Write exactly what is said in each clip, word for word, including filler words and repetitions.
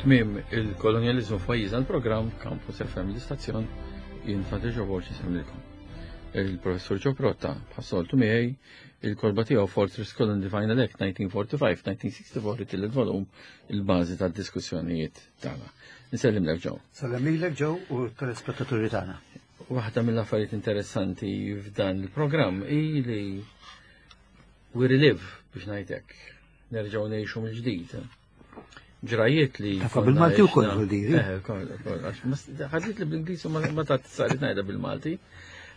Tmiem il-kolonjaliżmu f'pajjiżna, l-programm Campus F M, l-istazzjon, jien Frate Joe Borg insellmilkom. Il-professur Joe Protta, bħas-soltu miegħi, il-kotba tiegħu Fortress Colony Final Act elf disa' mija u erbgħa u erbgħin-elf disa' mija u sitta u erbgħin, it-tielet volum, il-bażi tad-diskussjonijiet tagħna. Nsellimlek, Joe. Sellem lilek, Joe, u telespettaturi tagħna. Waħda mill-affarijiet interessanti f'dan il-programm hi li we relive, biex ngħidlek, nerġgħu ngħixu mill-ġdid ġrajiet li. Tafa bil-Malti u koll, diri. Eh, koll, koll, għax ħadlit li bl-Ingliż u ma ta' sarit ngħidha bil-Malti.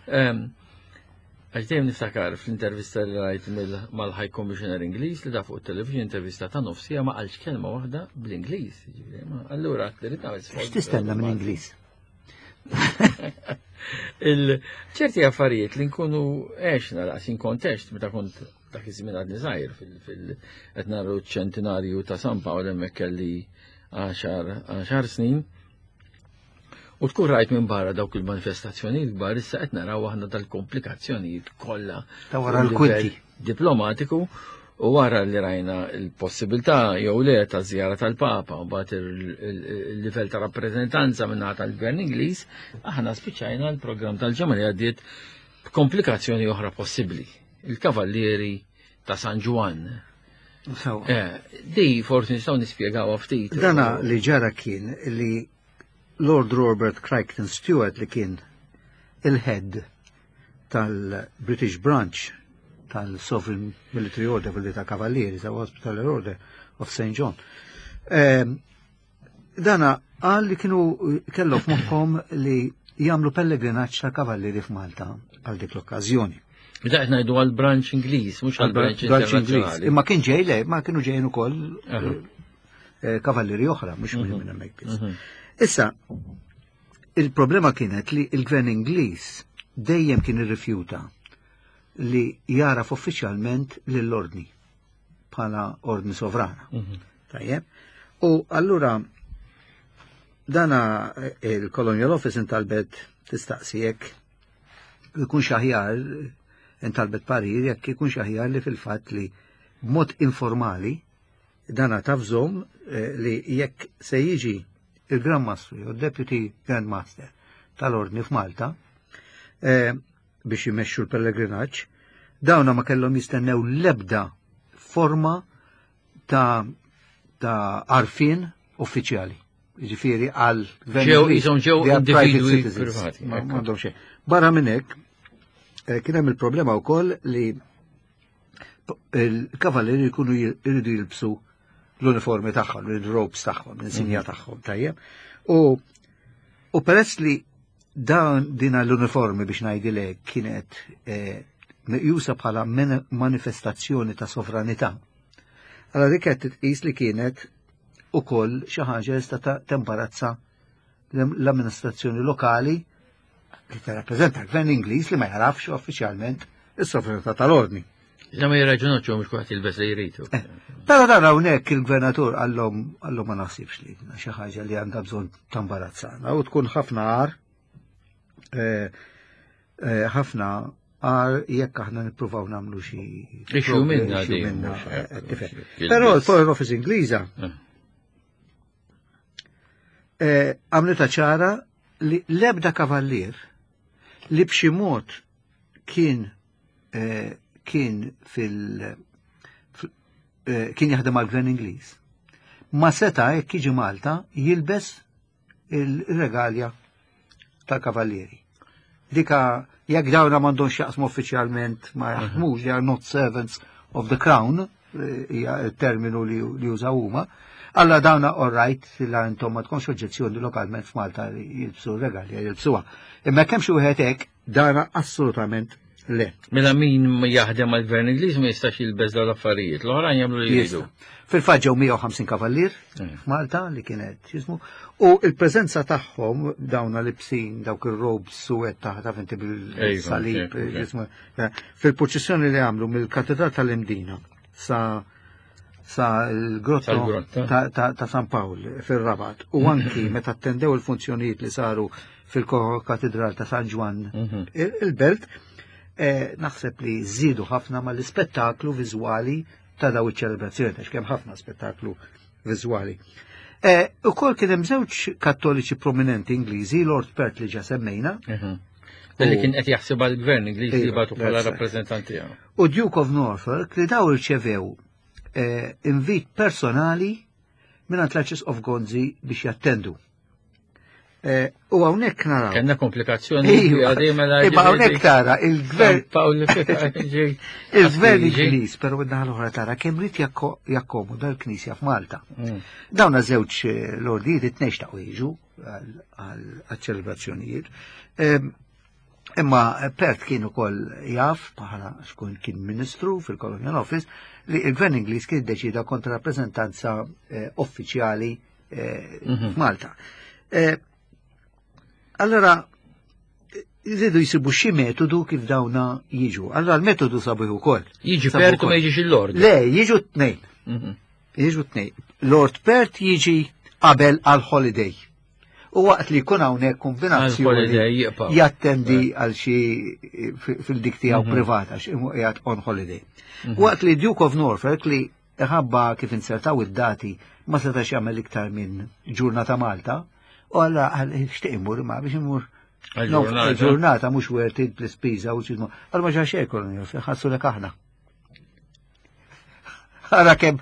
Għax dejjem niftakar fl-intervista li rajt mal-High Commissioner Ingliż li da fuq il-television, intervista ta' nofsija, ma qalx kelma waħda bl-Ingliż. Allura, trid nagħmel sforz. X'tistenna minn Ingliż? Il-ċerti affarijiet li nkunu għexna laqas in kontest meta kont dak iż-żmien għadni żgħir, fil qed naru ċentinarju ta' San Pawl, hemmhekk kelli għaxar snin. U tkun rajt minn barra dawk il-manifestazzjonijiet kbar, issa qed naraw aħna dal-komplikazzjonijiet kollha. Ta' wara l-kwinti. Diplomatiku, u wara li rajna il-possibilità jew le ta' żjara tal-Papa u mbagħad il-livell ta' rappreżentanza minn tal-Gvern Ingliż, aħna spiċċajna l-programm tal-ġimgħa li għaddiet b'komplikazzjoni oħra possibbli. Il-Kavallieri ta' San Ġwann. Eh, di forsi nistgħu nispjegaw ftit. Dana li ġara kien li Lord Robert Crichton Stewart, li kien il-head tal-British Branch tal-Sovereign Military Order, billi ta' Kavallieri, ta' Hospitaller Order of Saint John. Ehm, dana qal li kienu kellu f'moħħom li jagħmlu pellegrinaġġ ta' kavallieri f'Malta għal dik l-okkażjoni. Bida qed ngħidu għal branch Ingliż, mhux għal branch Branch Ingliż. internazzjonali. Imma kien ġej, le, ma kienu ġejjin ukoll Aha. eh, kavallieri oħra, mhux minn minn hemmhekk biss. Mhm. Issa, il-problema kienet li il-gvern Ingliż dejjem kien irrifjuta li jaraf uffiċjalment lill-ordni bħala ordni sovrana. Mhm. Tajjeb. U allura dana eh, il-Colonial Office intalbet tistaqsi jekk ikun aħjar, intalbet parir jekk ikun aħjar li fil-fatt li b'mod informali dana tavżahom eh, li jekk se jiġi il-Grand Master jew Deputy Grand Master tal-ordni f'Malta eh, biex jmexxu l-pellegrinaġġ, dawna ma kellhom jistennew lebda forma ta' ta' għarfien uffiċjali. Ġifieri għal gvern Ġew Ingliż, jisom ġew they are private individwi citizens. privati, Ma ekku. m'għandhom xejn. Barra minn hekk, eh, kien hemm il-problema wkoll li il-kavallieri jkunu jridu jilbsu l-uniformi tagħhom, il-robes tagħhom, l-insinja tagħhom, tajjeb. U u peress li dan dina l-uniformi, biex ngħidilek, kienet eh, meqjusa bħala men- manifestazzjoni ta' sovranità. Allora dik qed titqis li kienet ukoll xi ħaġa li sta tembarazza l-amministrazzjoni lokali li tirrappreżenta l-gvern Ingliż li ma jarafx uffiċjalment is-sovranità tal-ordni. La ma jirraġunaw mhux kulħadd jilbes li jridu. Eh, Però dan hawnhekk il-gvernatur qallhom qallhom ma naħsibx li xi ħaġa li għandha bżonn tambarazzana u tkun ħafna għar eh, eh, ħafna għar jekk aħna nippruvaw nagħmlu xi Issue minna issue di, minna, mhux eh, hekk, tifhem. mhux Però jilbes. l-Foreign Office Ingliża Eh. eh, għamlitha ċara li lebda kavallier li b'xi mod kien eh, kien fil fil- eh, kien jaħdem għal gvern Ingliż ma seta, jekk jiġi Malta, jilbes il-regalja tal-kavallieri. Dika jekk dawna m'għandhomx jaqsmu uffiċjalment, ma jaħdmux, they are not servants of the crown, eh, hija il-terminu li li jużaw huma. Alla dawna, all right, la intom ma tkunx oġġezzjoni lokalment f'Malta li jilbsu regalja, jilbsuha. Imma kemm xi wieħed hekk, dana assolutament le. Mela min ma jaħdem għal gvern Ingliż ma jistax jilbes dawn l-affarijiet. L-oħrajn jagħmlu li jridu. Jista'. Fil-fatt ġew mija u ħamsin kavallier Mm. f'Malta li kienet jismu u il-preżenza tagħhom dawna libsin dawk ir-robes suwed taħt, taf inti, bil-salib Ejva, ok, ok. jismu, eh, fil-purċissjoni li għamlu mill-Katedral tal-Imdina sa sa l-grotto Sal-grotta. ta', ta, ta' San Pawl fil-Rabat u anki meta attendew il-funzjonijiet li saru fil-Katedral ta' San Ġwann Mhm. il- il-belt, eh, naħseb li żidu ħafna mal-ispettaklu viżwali ta' daw iċ-ċelebrazzjoni, għax kemm ħafna spettaklu viżwali. Eh, Ukoll kien hemm żewġ kattoliċi prominenti Ingliżi, Lord Perth li ġa semmejna, Mhm. Li kien qed jaħseb għall-gvern Ingliż li Iva, bagħtu bħala that's right. rappreżentanti tiegħu. U Duke of Norfolk li daw irċevew eh, invit personali minn l-Arċisqof Gonzi biex jattendu. Eh, U hawnhekk naraw. Kellna komplikazzjoni Iva, għadi mela Imma hawnhekk tara il-gvern Pawl il-gvern Ingliż, però min-naħa l-oħra tara kemm ried jakko- jakkomoda l-Knisja f'Malta. Mm. Dawna żewġ eh, lordijiet it-tnejn xtaqu jiġu għal-ċelebrazzjonijiet. Em, Imma Perth kien ukoll jaf, bħala xkun kien ministru fil-Colonial Office, li il-gvern Ingliż kien deċida kontra rappreżentanza eh, uffiċjali eh, Mhm. f'Malta. Eh, Allora, jridu jisibu xi metodu kif dawna jiġu. Allora l-metodu sabuh ukoll. Jiġi Sabu Perth u ma wkoll. jiġix il-Lord. Le, jiġu tnejn. Mhm. Jiġu tnejn. Lord Perth jiġi qabel għal holiday. U waqt li jkun hawnhekk kombinazzjoni Għal-holiday jibqa'. jattendi għal xi fil-dik tiegħu Mhm. privata xi qiegħed on holiday. Waqt li Duke of Norfolk li ħabba kif insertaw id-dati ma setax jagħmel iktar minn ġurnata Malta, u għalla għal xtieq imur ma biex imur Għal-ġurnata. ġurnata mhux worth it bl-ispiża u x'ismu. Għal ma ġa xejn kolonjal, ħassu lek aħna. Ara kemm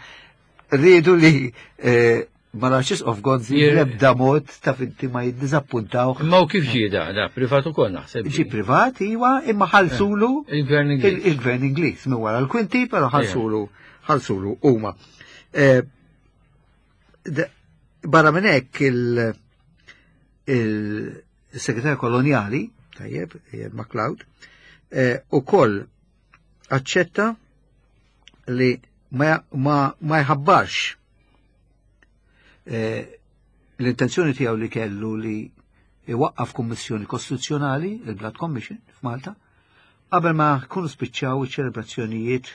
rridu li eh, mal-Arċisqof Gonzi Jir- l-ebda mod ta' finti ma jiddizappuntaw. Imma u kif ġie da, da, privat ukoll naħseb. Ġi privat, iwa, imma ħalsulu Il-gvern il- Ingliż. il-gvern Ingliż minn wara l-kwinti, però ħalsulu ħalsulu huma. Eh, de- Barra minn hekk il- il-segretarju koloniali, tajjeb, eh, MacLeod, eh, ukoll aċċetta li ma, ma, ma jħabbarx eh, l-intenzjoni tiegħu li kellu li iwaqqaf kummissjoni kostituzzjonali, il-Blood Commission f'Malta, qabel ma jkunu spiċċaw iċ-ċelebrazzjonijiet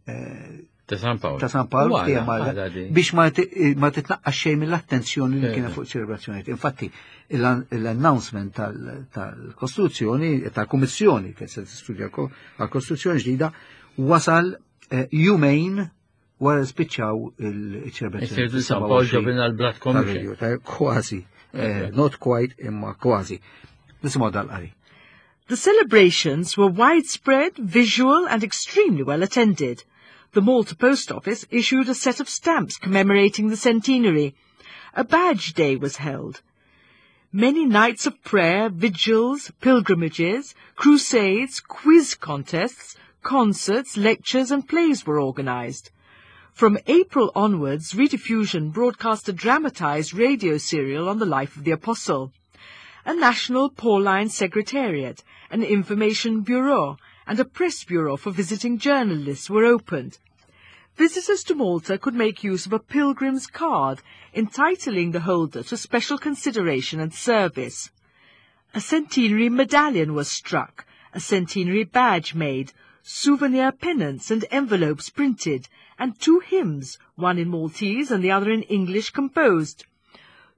eh, Ta' San Pawl. ta' San Pawl U għala, fija Malta għala di. biex ma ti- ma titnaqqax xejn mill-attenzjoni li Eh. kienet fuq ċelebrazzjonijiet. Infatti, l-announcement tal- tal-Kostituzzjoni, tal-Kummissjoni che se studja għal-Kostituzzjoni ġdida, wasal eh, jumejn wara li spiċċaw il-ċelebrazzjoni. Isir San Pawl ġabina l-Blood Commission. Kważi, eh, not quite, imma kważi. Nisimgħu dal-qari. The celebrations were widespread, visual, and extremely well attended. The Malta Post Office issued a set of stamps commemorating the centenary. A badge day was held. Many nights of prayer, vigils, pilgrimages, crusades, quiz contests, concerts, lectures, and plays were organized. From April onwards, Rediffusion broadcast a dramatized radio serial on the life of the Apostle. A national Pauline Secretariat, an information bureau, and a press bureau for visiting journalists were opened. Visitors to Malta could make use of a pilgrim's card entitling the holder to special consideration and service. A centenary medallion was struck, a centenary badge made, souvenir pennants and envelopes printed, and two hymns, one in Maltese and the other in English, composed.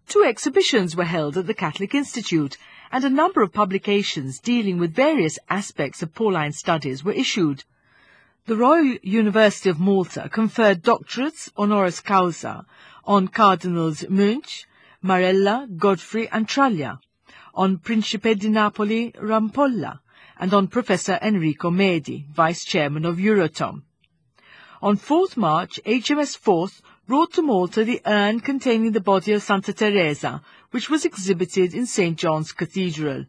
Two exhibitions were held at the Catholic Institute, and a number of publications dealing with various aspects of Pauline studies were issued. The Royal University of Malta conferred doctorates honoris causa on Cardinals Muench, Marella, Godfrey and Traglia, on Principe di Napoli Rampolla, and on Professor Enrico Medi, Vice Chairman of Euratom. On fourth March, H M S Forth brought to Malta the urn containing the body of Santa Teresa, which was exhibited in Saint John's Cathedral.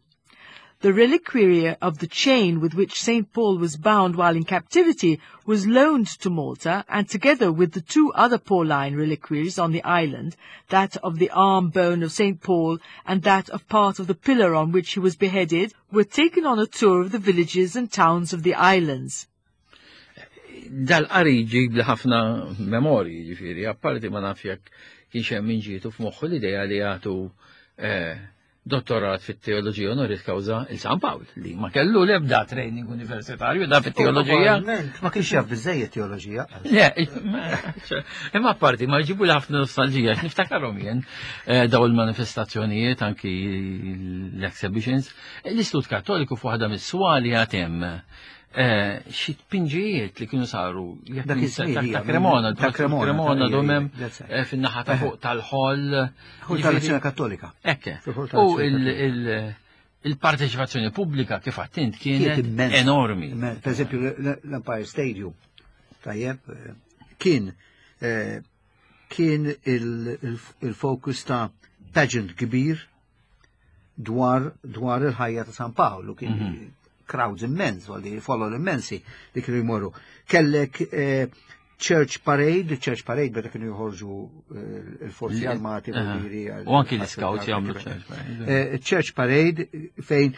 The reliquary of the chain with which Saint Paul was bound while in captivity was loaned to Malta, and together with the two other Pauline reliquaries on the island, that of the arm bone of Saint Paul and that of part of the pillar on which he was beheaded, were taken on a tour of the villages and towns of the islands. Dal-qari ġib li ħafna memorji, ġifieri, apparti ma naf jekk kienx hemm min ġietu f'moħħu l-idea li jagħtu eh, dottorat fit-teoloġija honoris causa il San Pawl, li ma kellu l-ebda training universitarju da fit-teoloġija. Probabbilment ma kienx jaf biżejjed teoloġija. Le, imma apparti ma jġibu li ħafna nostalġija, niftakarhom jien eh, daw il-manifestazzjonijiet, anki l-exhibitions, l-Istitut Kattoliku f'waħda mis-swali għad hemm Eh, xi tpinġijiet li kienu saru jekk Dak ninsa- iż-żmien ta' hija, ta' Cremona, ta' Cremona, Cremona ta' domem that's it. eh, fin-naħa ta' fuq tal-ħol. Ħol tal-Azzjoni Kattolika. Ekke. Fil-ħol U tal-Azzjoni il- il- il-parteċipazzjoni pubblika kif għattint Kienet kienet immensa. enormi. Immen- Per eżempju, l- l-Empire Stadium, tajjeb, eh, kien eh, kien il- il- il-fokus ta' pageant kbir dwar dwar il-ħajja ta' San Paolo, kien Mhm. crowds immens, għalli follow immensi li kienu jmorru. Kellek eh, Church Parade, Church Parade beda kienu joħorġu eh, il-forzi Li- armati, Aha. voldiri, għal- U anki l-scouts jagħmlu Church Parade. Eh, Church Parade fejn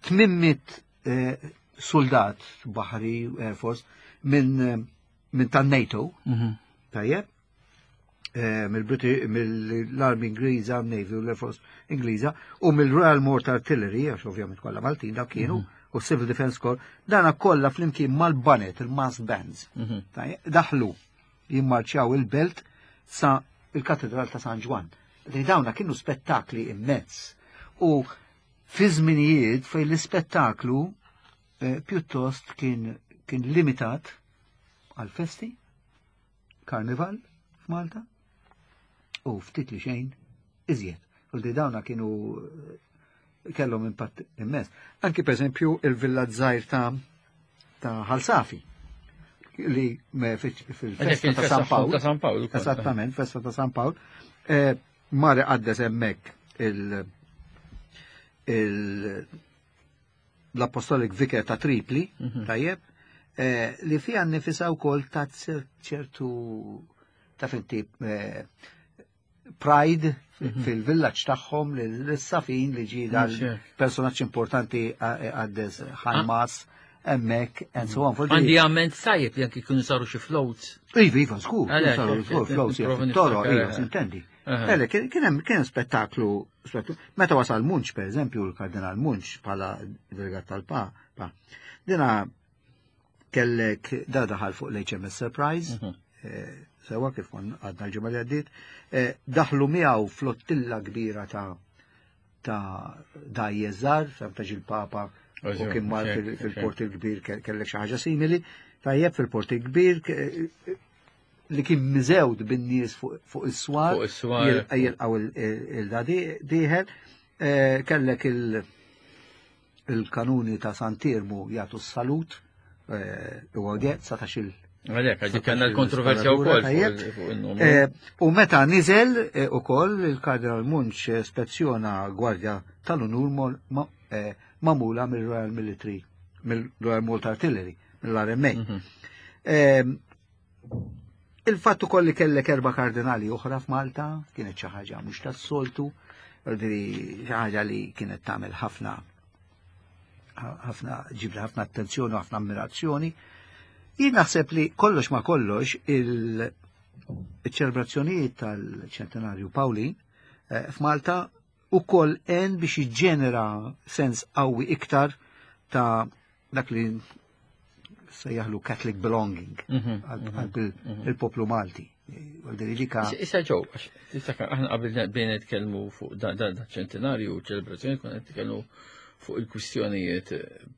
tmien mitt eh, soldat baħri Air Force minn eh, minn tan-NATO, Mhm. tajjeb, eh, mill-Briti- mill-Army Ingliża, Navy u l-Air Force Ingliża, u mill-Royal Malta Artillery, għax ovvjament kollha Maltin dak kienu, u Civil Defence Corps, dana kollha flimkien mal-baned, il-massed bands. Mhm. Tajjeb, daħlu jimmarċjaw il-belt sa il-Katedral ta' San Ġwann. Li dawna kienu spettakli immens. U fi żminijiet fejn l-ispettaklu eh, pjuttost kien kien limitat għal festi, karnival f'Malta, u ftit li xejn iżjed. U li dawna kienu eh, kellhom impatt immens. Anki per eżempju il-Villa Żgħir ta' ta' Ħal Safi li me- fil-festa ta' San Pawl. Ta' San Pawl. ukoll. Esattament, festa ta' San Pawl. Eh, Mari qaddes hemmhekk il- il- l-Apostolic Vicar ta' Tripli, Mhm. tajjeb, eh, li fija nifisa wkoll ta' ċertu ta' finti eh, pride fil-villaġġ tagħhom l-safin li ġi dal Mhux hekk. personaġġ importanti qaddes high mass hemmhekk and so on. Għandi għamment tajjeb li anki kienu saru xi floats. Iva, iva, żgur, Għalhekk, saru hekk, żgur, hekk, floats, nipprova toro, niftakar, iva, eh. sintendi. Aha. Ele, kien kien hemm kien spettaklu, spettaklu. Meta wasal Munch, per eżempju, il-Kardinal Munch bħala delegat tal-Papa, dina kellek da daħal fuq l-H M S Surprise, Mhm. eh, sewa kif kon għadna l-ġimgħa li għaddiet, eh, daħlu miegħu flottilla kbira ta' ta' dgħajjes, ta' il-Papa u kien mar Hekk, fil-port il-kbir kellek xi ħaġa simili, tajjeb fil-port il-kbir ke- li kien miżewd bin-nies fuq fuq is-swar, Fuq is-swar. jilqgħu il-da dieħel, eh, kellek il- il-kanuni ta' Sant'Iermu jagħtu s-salut, eh, u għodjet satax il- Għalhekk, għaddi kellna l-kontroversja wkoll Tajjeb. fuq fuq il-numru. Eh, U meta niżel eh, ukoll il-Kardinal Munch spezzjona gwardja tal-unur mol- ma- eh, magħmula mill-Royal Military, mill-Royal Malta Artillery, mill-R M A. Mhm. Eh, Il-fattu koll li kellek erba kardinali oħra f'Malta, kienet xi ħaġa mhux tas-soltu, xi ħaġa li kienet tagħmel ħafna ħafna ġibda ħafna attenzjoni u ħafna ammirazzjoni. Jien naħseb li kollox ma kollox il-ċelebrazzjonijiet tal-ċentenarju Pawlin eh, f'Malta u koll en biex jiġġenera sens qawwi iktar ta' dak li sejjaħlu Catholic belonging Mhm, għal il-poplu Malti. Għal dika Issa ġew, għax tiftakar aħna qabel bejna nitkellmu fuq da da da ċentenarju u ċelebrazzjoni konna nitkellmu fuq il-kwistjonijiet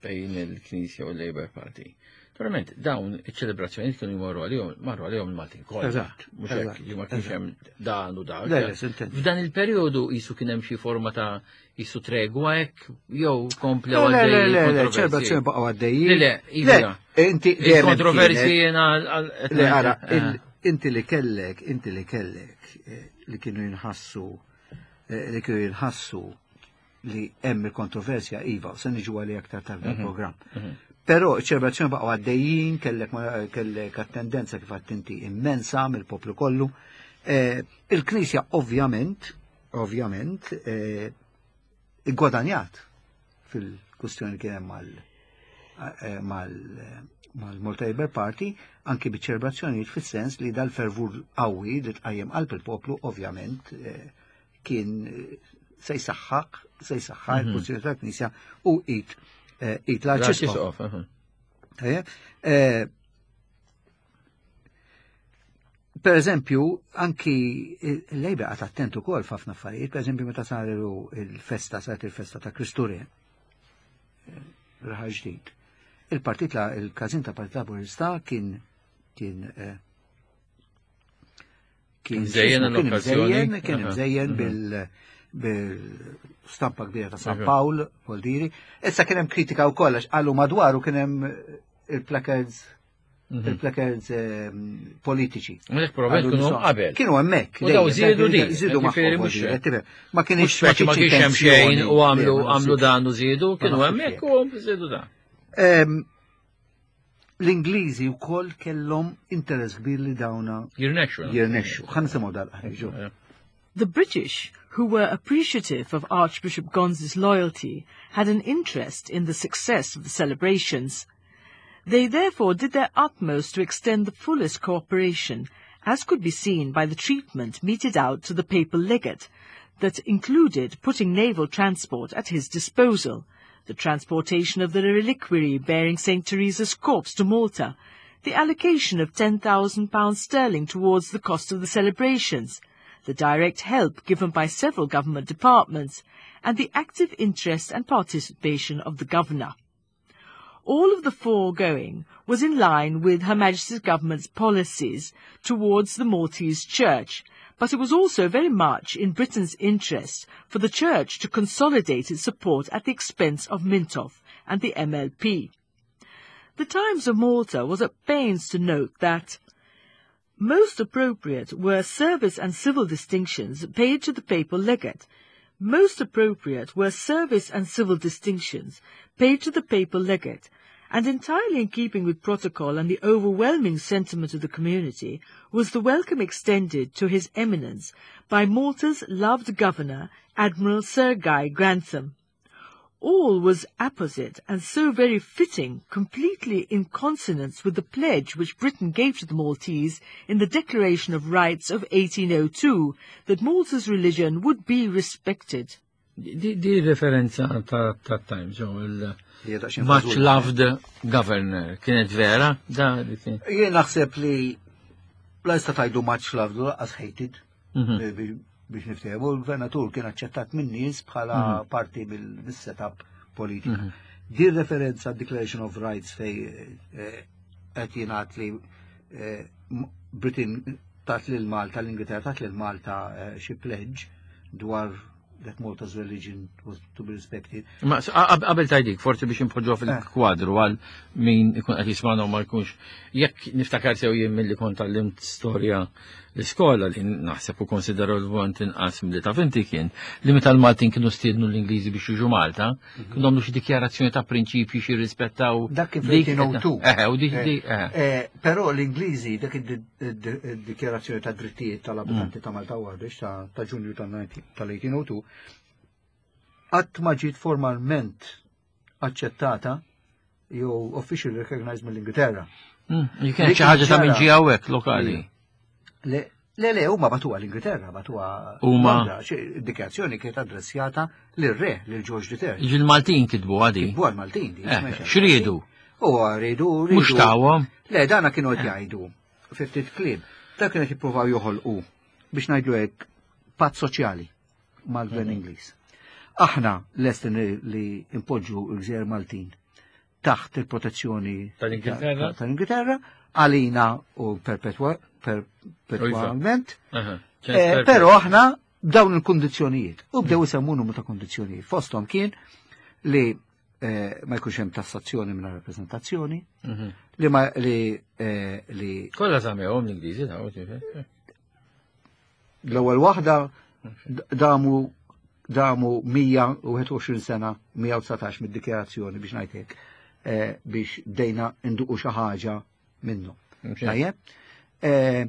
bejn il-Knisja u l-Labour Party. Naturalment, dawn iċ-ċelebrazzjonijiet kienu jmorru għalihom, marru għalihom il-Maltin kollha. Eżatt, Mhux hekk eżatt, li ma kienx hemm dan u dak. Le, le, sintendi. F'dan il-perjodu jisu kien hemm xi forma ta' jisu tregwa hekk jew komplew Le, le, le, għaddej le, le, il-kontroversji. ċelebrazzjoni baqgħu għaddejjin. Le, le, iva. Le, inti dejjem Il-kontroversji kienet- jiena għal- Le, ara, eh. il- inti li kellek, inti li kellek, eh, li kienu jinħassu, eh, li kienu jinħassu li hemm il-kontroversja, iva, se niġu għali aktar tard il-programm. Però ċelebrazzjoni baqgħu għaddejjin, kellek ma- kellek attendenza kif għattinti immensa mill-poplu kollu. Eh, Il-Knisja ovvjament, ovvjament, eh, igwadanjat fil-kustjoni kien hemm mal eh, mal mal-Malta Labour Party anki biċ-ċelebrazzjonijiet fis-sens li dal-fervur qawwi li tqajjem qalb il-poplu ovvjament eh, kien eh, se jsaħħaq se jsaħħaq il-pożizzjoni tal-Knisja u it eh, it l-Arċisqof. L-Arċisqof, aha. Tajjeb? Eh, Per eżempju, anki il-Labour qagħad attentu ukoll f'ħafna affarijiet, per eżempju meta saru il-festa, saret il-festa ta' Kristu Re, raħal ġdid. Il-partit la il-każin ta' Partit Laburista kien kien eh, kien Mżejjen kien l-okkażjoni. mżejjen, kien Aha. mżejjen Mhm. bil bil-stampa kbira ta' San Aha. Pawl, Voldiri. Issa kien hemm kritika wkoll għax qalu madwaru kien hemm il-placards Mhm. il-placards ehm, politiċi. Mhux probabbilment Għallu kienu nisma' qabel. Kienu hemmhekk. U daw dejjem, żiedu dak- di, Żiedu ġifieri magħhom, mhux- voldiri, tifhem. Ma kienx Mhux speċi ma kienx hemm xejn u għamlu għamlu dan u żiedu, kienu naħsibx hemmhekk hekk. u żiedu dan. Ehm, L-Ingliżi wkoll kellhom interess kbir li dawna Jirnexxu. jirnexxu. Ħa nisimgħu dal-ħarġu. The British, who were appreciative of Archbishop Gonzi's loyalty, had an interest in the success of the celebrations. They therefore did their utmost to extend the fullest cooperation, as could be seen by the treatment meted out to the papal legate, that included putting naval transport at his disposal, the transportation of the reliquary bearing Saint Teresa's corpse to Malta, the allocation of ten thousand pounds sterling towards the cost of the celebrations, the direct help given by several government departments, and the active interest and participation of the governor. All of the foregoing was in line with Her Majesty's government's policies towards the Maltese Church, but it was also very much in Britain's interest for the Church to consolidate its support at the expense of Mintoff and the M L P. The Times of Malta was at pains to note that most appropriate were service and civil distinctions paid to the papal legate. Most appropriate were service and civil distinctions paid to the papal legate, and entirely in keeping with protocol and the overwhelming sentiment of the community was the welcome extended to His Eminence by Malta's loved governor, Admiral Sir Guy Grantham. All was apposite and so very fitting, completely in consonance with the pledge which Britain gave to the Maltese in the Declaration of Rights of eighteen oh two, that Malta's religion would be respected. Di, di referenza ta' ta' Times, jo, il Hija daqsxejn much fażula. loved governor, kienet vera? Da, di kien. Jien naħseb li la jista' tgħidu much loved u lanqas hated Mhm. biex biex niftehmu, il-gvernatur kien aċċettat minn nies bħala Mhm. parti mill-setup politika. Di referenza Declaration of Rights fej eh, qed jingħad li eh, M- Britain tat lil Malta, l-Ingilterra tat lil Malta eh, xi pledge dwar that Malta's religion was to be respected. Ma s- qab- qabel tajdik, forsi biex impoġġuha fil-kwadru għal min ikun qed jismana u ma jkunx. Jekk niftakar sew jien milli kont għallimt storja l-iskola li naħseb u konsiderevolment inqas milli taf inti kien li meta l-Maltin kienu stiednu l-Ingliżi biex jiġu Malta, kienu għamlu xi dikjarazzjoni ta' prinċipji xi rispettaw. Dak kien dik- fl-eighteen oh two. Eh, u dik dik eh. Eh, Però l-Ingliżi dak id-dikjarazzjoni ta' drittijiet tal-abitanti ta' Malta u Għawdex ta' ta' Ġunju tal-eighteen oh two qatt ma ġiet formalment aċċettata jew officially recognized mill-Ingilterra. Mm, Kienet xi ħaġa ta' minn ġie hawnhekk lokali. Le, le, le, huma bagħtuha l-Ingilterra, bagħtuha Huma- Londra. Xi- Id-dikjarazzjoni kienet adressjata lir-re, lil George the Third. Jiġi l-Maltin kitbu għadi. Kitbu għal-Maltin. Di, Eh, smajx. X'riedu? U rridu, rridu. Mhux tawhom. Le, dana kienu qed jgħidu, ftit kliem, dak kienu qed jippruvaw joħolqu biex ngħidlu hekk patt soċjali mal-gvern Ingliż. Aħna lesti li- li impoġġu l-gżejjer Maltin taħt il-protezzjoni Tal-Ingilterra? ta- tal-Ingilterra, għalina u perpetwa- perpetwalment, Aha, Eh, Però aħna b'dawn il-kondizzjonijiet. U bdew isemmu numru ta' kondizzjonijiet. Fosthom kien li eh, ma jkunx hemm tassazzjoni minn rappreżentazzjoni, Mhm. li ma li eh, li Kollha żammewhom l-Ingliżi daw, ġifieri. L-ewwel waħda d- damu damu mija u wieħed u għoxrin sena, mija u dsatax mid-dikjarazzjoni biex ngħid hekk, eh, biex bdejna induqu xi ħaġa minnu. Tajjeb? Eh,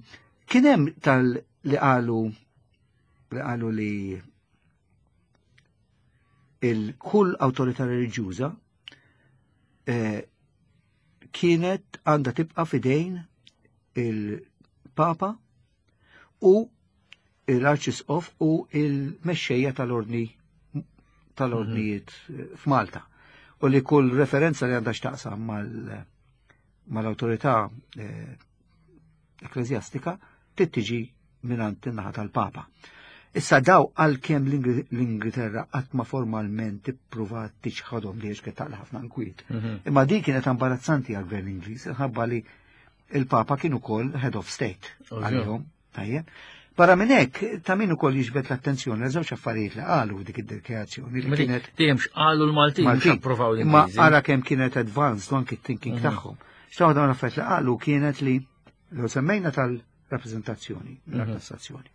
Kien hemm tal li qalu li qalu li il-kull awtorità reliġjuża eh, kienet għandha tibqa' fidejn il-Papa u l-Arċisqof u il-mexxejja tal-ordni tal-ordnijiet f'Malta. U li kull referenza li għandha x'taqsam mal mal-awtorità eh, ekklesjastika trid tiġi mingħand in-naħa tal-Papa. Issa daw għalkemm l-Ingilterra qatt ma formalment ippruvat tiċħadhom li kienet taqla ħafna nkwiet. Mhm. Imma din kienet imbarazzanti għall-gvern Ingliż, ħabba li il-Papa kien ukoll head of state Ovvju. għalihom. Tajjeb. Barra minn hekk, ta' min ukoll jiġbed l-attenzjoni għal żewġ affarijiet li qalu dik id-dikjarazzjoni li Ma dik- kienet Dejjem x'qalu l-Maltin, mhux Maltin. approvaw Imma l-Ingliżi. ara kemm kienet advanced u anki thinking Mhm. tagħhom. X'waħda mill affarijiet li qalu kienet li l semmejna tal-rappreżentazzjoni, Mhm. tassazzjoni.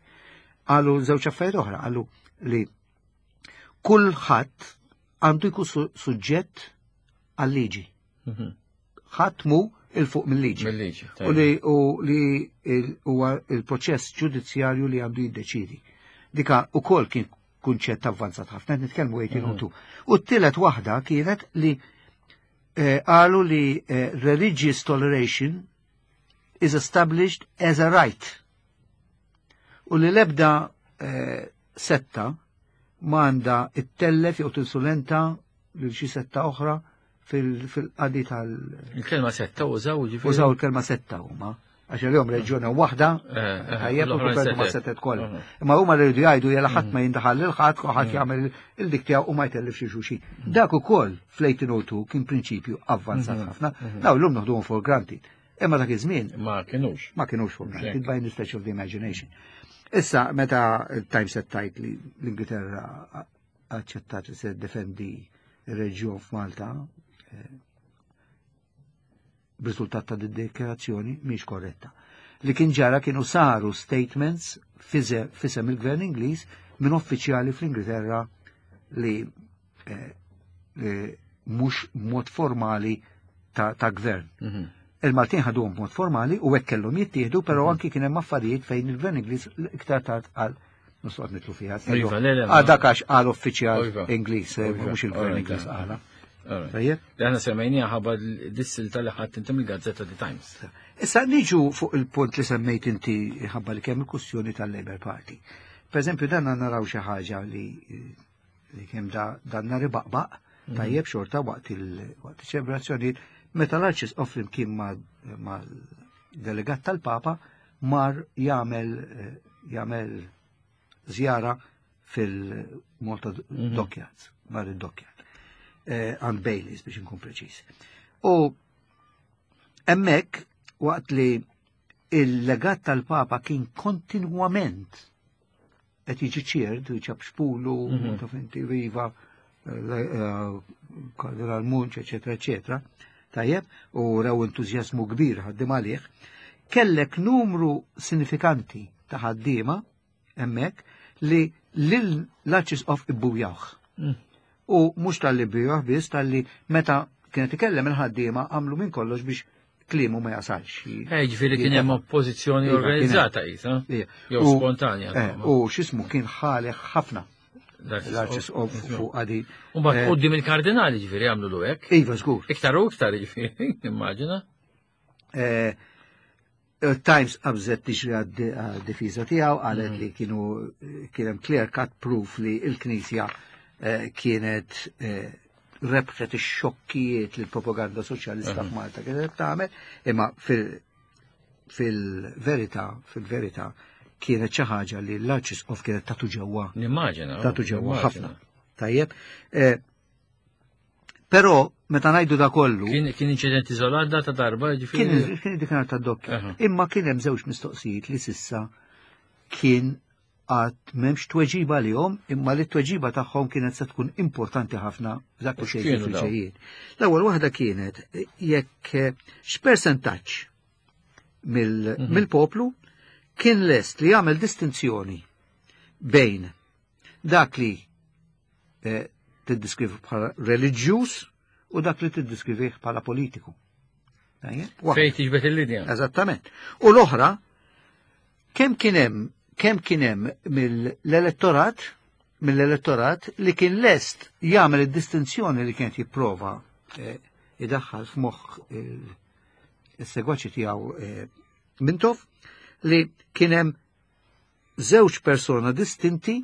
Qalu żewġ affarijiet oħra, qalu li kulħadd għandu jkun su- suġġett għal-liġi. Mhm. Ħadd mu 'il fuq mill-liġi. Mill-liġi. U li u li il- huwa il-proċess ġudizzjarju li għandu jiddeċidi. Dika ukoll kien kunċett avvanzat ħafna, qed nitkellmu eighteen oh two. U t-tielet waħda kienet li eh, qalu li eh, religious toleration is established as a right. U li lebda eh, setta m'għandha ttellef jew tinsulenta lil xi setta oħra fil- fil-qadi tal- Il-kelma setta użaw ġifieri. Użaw il-kelma setta huma. Għax l-jom reġjoni waħda, Eh, eh, tajjeb, u l-oħrajn kopertu ma' setet. setet kollha. Mhm. Imma huma li rridu jgħidu jela ħadd ma jindaħal lil ħadd, u ħadd jagħmel il-dik tiegħu u ma jtellifx xulxin. Dak ukoll fl-eighteen oh two kien prinċipju avvanzat ħafna. Daw llum noħduhom for granted. Imma dak iż-żmien Ma kienux. ma kienux for granted Hekk. by any stretch of the imagination. Issa, meta Times qed tgħid li l-Ingilterra aċċettat li se defendi ir-reġjun f'Malta, eh, b'riżultat ta' dikjarazzjoni mhix korretta. Li kien ġara kienu saru statements fize- f'isem il-gvern Ingliż minn uffiċjali fl-Ingilterra li eh, li mhux mod formali ta', ta' gvern. Mhm. Il-Maltin ħaduhom b'mod formali u hekk kellhom jittieħdu, però anki kien hemm affarijiet fejn il-gvern Ingliż iktar tard qal nistgħu nidħlu fiha. Iva, le, le, ma- Ah, dak għax qal uffiċjal Iva. Ingliż, eh, Iva, mhux il-gvern alright, Ingliż eh. qala. Alright. Tajjeb? Li aħna semmejnija ħabba dis-silta li ħadd inti mill-gazzetta The Times. Issa niġu fuq il-punt li semmejt inti ħabba li kemm il-kwestjoni tal-Labour Party. Per eżempju, dan naraw xi ħaġa li li kemm da dan nar ibaqbaq, tajjeb xorta waqt il waqt iċ-ċelebrazzjonijiet meta l-Arċisqof flimkien ma' mal-delegat tal-Papa mar jagħmel eh, jagħmel żjara fil-Malta Dockyards, mar id-Dockyard. Eh, għand Baileys biex nkun preċiż. U hemmhekk waqt li il-legat tal-Papa kien kontinwament qed jiġi cheered, ċapċpulu, Mhm. taf inti, viva, eh, Kardinal Munch, eccetera, eccetera, tajjeb, u raw entużjażmu kbir ħaddim għalih, kellek numru sinifikanti ta' ħaddiema hemmhekk li lil l-Arċisqof ibbujawh. Mm. U mhux tal-li bbujawh biss, tal-li meta kienet ikellem il-ħaddiema għamlu minn kollox biex kliemu ma jasalx. Eh, ġifieri kien hemm oppożizzjoni Iva, organizzata qisha. Ija. Jew U- spontanja. eh, U x'ismu kien ħalek ħafna l-Arċisqof fuq għadi. U mbagħad Eh, quddiem il-kardinali ġifieri għamlu lu hekk. Iva, żgur. Iktar u iktar ġifieri, immaġina. Eh, Times qabżet tiġri għad-difiża tiegħu, qalet li kienu kien hemm clear cut proof li l-Knisja eh, kienet eh, rebħet ix-xokkijiet li l-propaganda soċjalista f'Malta kienet tagħmel, imma fil- fil-verità, fil-verità kienet xi ħaġa li l-Arċisqof kienet tatu ġewwa Nimmaġina. tatu ġewwa nimmaġina. ħafna. Tajjeb. Eh, Però meta ngħidu da kollu, Kien kien inċident iżolat da ta' darba kien ġifieri. kien dik ta' dokkja. Aha. Imma kien hemm żewġ mistoqsijiet li sissa kien għad m'hemmx tweġiba lihom, imma li t-tweġiba tagħhom kienet se tkun importanti ħafna f'dak li U xejn x'kienu dawn? fil-ġejjien. L-ewwel waħda kienet jekk eh, x'persentaġġ mill- Mhm. mill-poplu kien lest li jagħmel distinzjoni bejn dak li eh, tiddiskrivi bħala reliġjuż u dak li tiddiskrivi bħala politiku. Tajjeb? Waħda. Fejn tiġbed il-linja. Eżattament. U l-oħra, kemm kien hemm kemm kien hemm mill-elettorat mill-elettorat li kien lest jagħmel id-distinzjoni li kienet jipprova eh, idaħħal f'moħħ il- is-segwaċi tiegħu eh, Mintoff li kien hemm żewġ persona distinti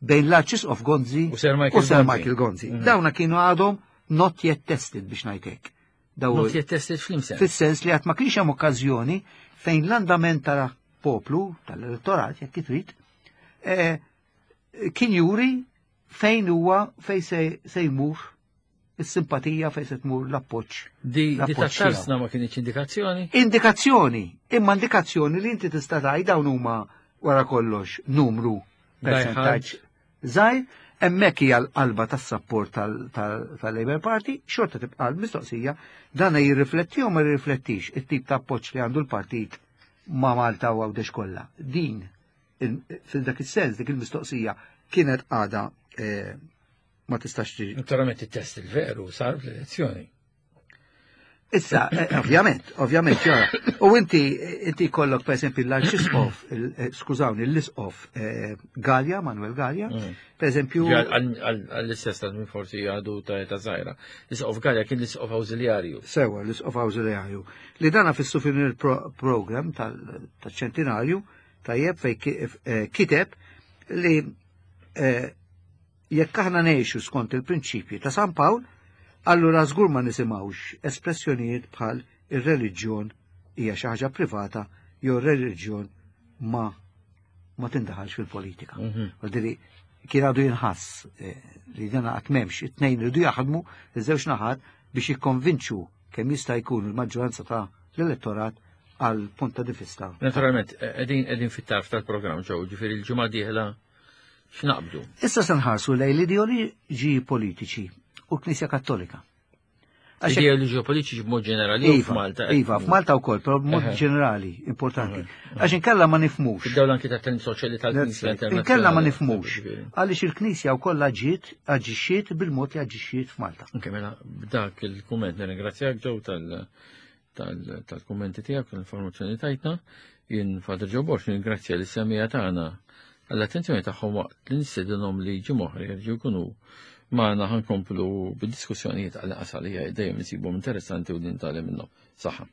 bejn l-Arċisqof Gonzi U Sir Michael u Sir Gonzi. Michael Gonzi. Mhm. Dawna kienu għadhom not yet tested biex ngħidlek. Daw Not yet tested fl-imsen. fis-sens li għad ma kienx hemm okkażjoni fejn l-andament tal-poplu, tal-elettorat, jekk trid, eh, Kien juri fejn huwa, fejn se, se jmur is-simpatija, fejn se tmur l-appoġġ. Di, di L-appoġġ tat-tarzna ma kienx indikazzjoni? Indikazzjoni, imma indikazzjoni li inti tista' tgħid dawn huma wara kollox numru, percentaġġ żgħir, hemmhekk hija l-qalba tas-sapport tal-Labour Party. Xorta tibqa' l-mistoqsija, dan jirrifletti u ma jirriflettix it-tip ta' appoġġ li għandu l-partit ma' Malta u Għawdex kollha? Din, fil-dak is-sens, dik il-mistoqsija kienet għada eh, ma tistax tiġi. Naturalment it-test il-veru sar fl-elezzjoni. Issa, eh, ovvjament, ovvjament, ġara. U inti, inti kollok, per esempio, l-Arċisqof, eh, skużawni, l-Isqof eh, Galea, Manuel Galea, Mm. per esempio, Għall-istess ta' min forsi għadu ta' ta' żgħira. L-Isqof Galea kien l-Isqof Awżiljarju. Sewa, l-Isqof Awżiljarju, li dana fis-souvenir program tal-ċentinarju, tajjeb, fej ki- eh, kiteb li eh, jekk aħna ngħixu skont il-prinċipji ta' San Pawl, allura żgur ma nisimgħux espressjonijiet bħal ir-reliġjon hija xi ħaġa privata jew ir-reliġjon ma ma tindaħalx fil-politika. Mhm. Għaldiri, kien għadu jinħass eh, li dana qatt m'hemmx, it-tnejn iridu jaħdmu, iż-żewġ naħat, biex jikkonvinċu kemm jista' jkun il-maġġoranza ta' l-elettorat għal punt ta' vista. Naturalment, qegħdin qegħdin fit-tarf tal-programm ġew, ġifieri l-ġimgħa dieħla x'naqbdu? Issa se nħarsu lejn l-ideoloġiji politiċi u l-Knisja Kattolika. Għax hekk- Ideoloġija politiċi b'mod ġenerali u Iva, f'Malta. Iva, f'Malta wkoll, però b'mod Eħe. ġenerali, importanti. Għax inkella ma nifhmux. Fid-dawl anki ta' temi soċjali tal-Knisja internazzjonali. Inkella ma nifhmux. Ġifieri. Għaliex il-Knisja wkoll ġiet aġixxiet bil-mod li aġixxiet f'Malta. Anke mela b'dak il-kumment nirringrazzjak ġew tal tal- tal-kummenti tiegħek, l-informazzjoni tajtna. Jien Father Joe Borg nirringrazzja lis-semmiegħa tagħna għall-attenzjoni tagħhom waqt li nistedinhom li ġimgħa oħra jerġgħu jkunu magħna, ħa nkomplu bid-diskussjonijiet għal qasalija dejjem insibhom interessanti u nitgħallmu minnhom. Saħħa.